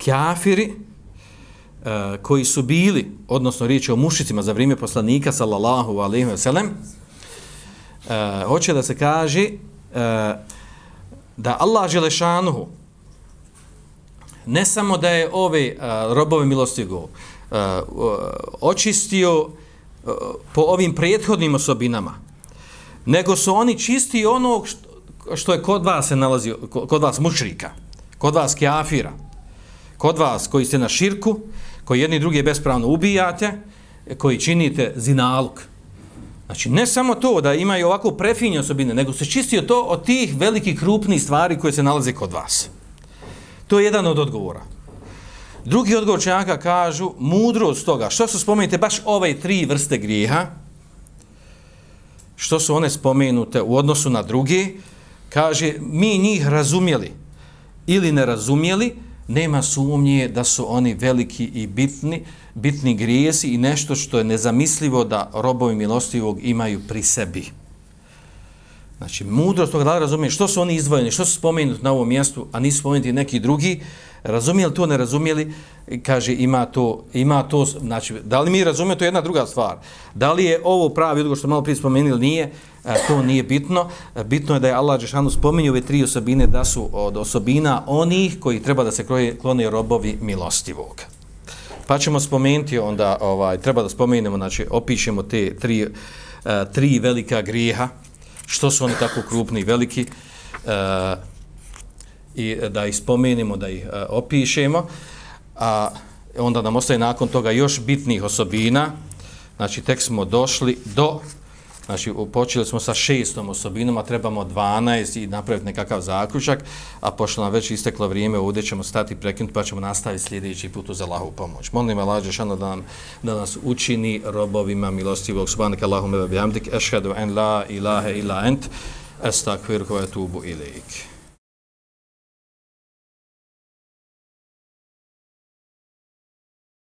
kafiri e, koji su bili, odnosno riječ o mušicima za vrijeme poslanika, sallallahu alejhi ve sellem, e, hoće da se kaže e, da Allah dželešanuhu ne samo da je ove uh, robove milostivog uh, uh, očistio uh, po ovim prethodnim osobinama, nego su oni čisti onog što, što je kod vas se nalazi, kod vas mušrika, kod vas kafira, kod vas koji ste na širku, koji jedni drugi bespravno ubijate, koji činite zinaluk. Znači, ne samo to da imaju ovako prefinje osobine, nego se čistio to od tih velikih krupnih stvari koje se nalaze kod vas. To je jedan od odgovora. Drugi odgovor učenjaka kažu, mudrost toga, što su spomenute baš ove tri vrste grijeha, što su one spomenute u odnosu na druge, kaže, mi njih razumjeli ili ne razumjeli, nema sumnje da su oni veliki i bitni, bitni grijesi i nešto što je nezamislivo da robovi milostivog imaju pri sebi. Znači, mudrost toga, da li razumije što su oni izdvojeni, što su spomenuti na ovom mjestu, a nisu spomenuti neki drugi, razumijeli to, ne razumijeli, kaže, ima to, ima to, znači, da li mi razumijemo, to je jedna druga stvar. Da li je ovo pravi odgovor što malo prije spomenuli, nije, to nije bitno. Bitno je da je Allah dželešanu spominje ove tri osobine, da su od osobina onih koji treba da se klone robovi milostivog. Pa ćemo spomenuti onda, ovaj, treba da spomenemo, znači, opišemo te tri, tri velika grijeha, što su oni tako krupni i veliki, e, i da ih spomenemo, da ih e, opišemo, a onda nam ostaje nakon toga još bitnih osobina. Znači, tek smo došli do, znači, počeli smo sa šestom osobinom, a trebamo dvanaest i napraviti nekakav zaključak, a pošto nam već isteklo vrijeme, ovdje ćemo stati prekinuti, pa ćemo nastaviti sljedeći put uz Allahovu pomoć. Molim Allah dželešanu da, da nas učini robovima milostivog. Subhanaka Allahumma wa bihamdik, ešhedu en la ilaha illa ent, estakfiruka wa etubu ilejk.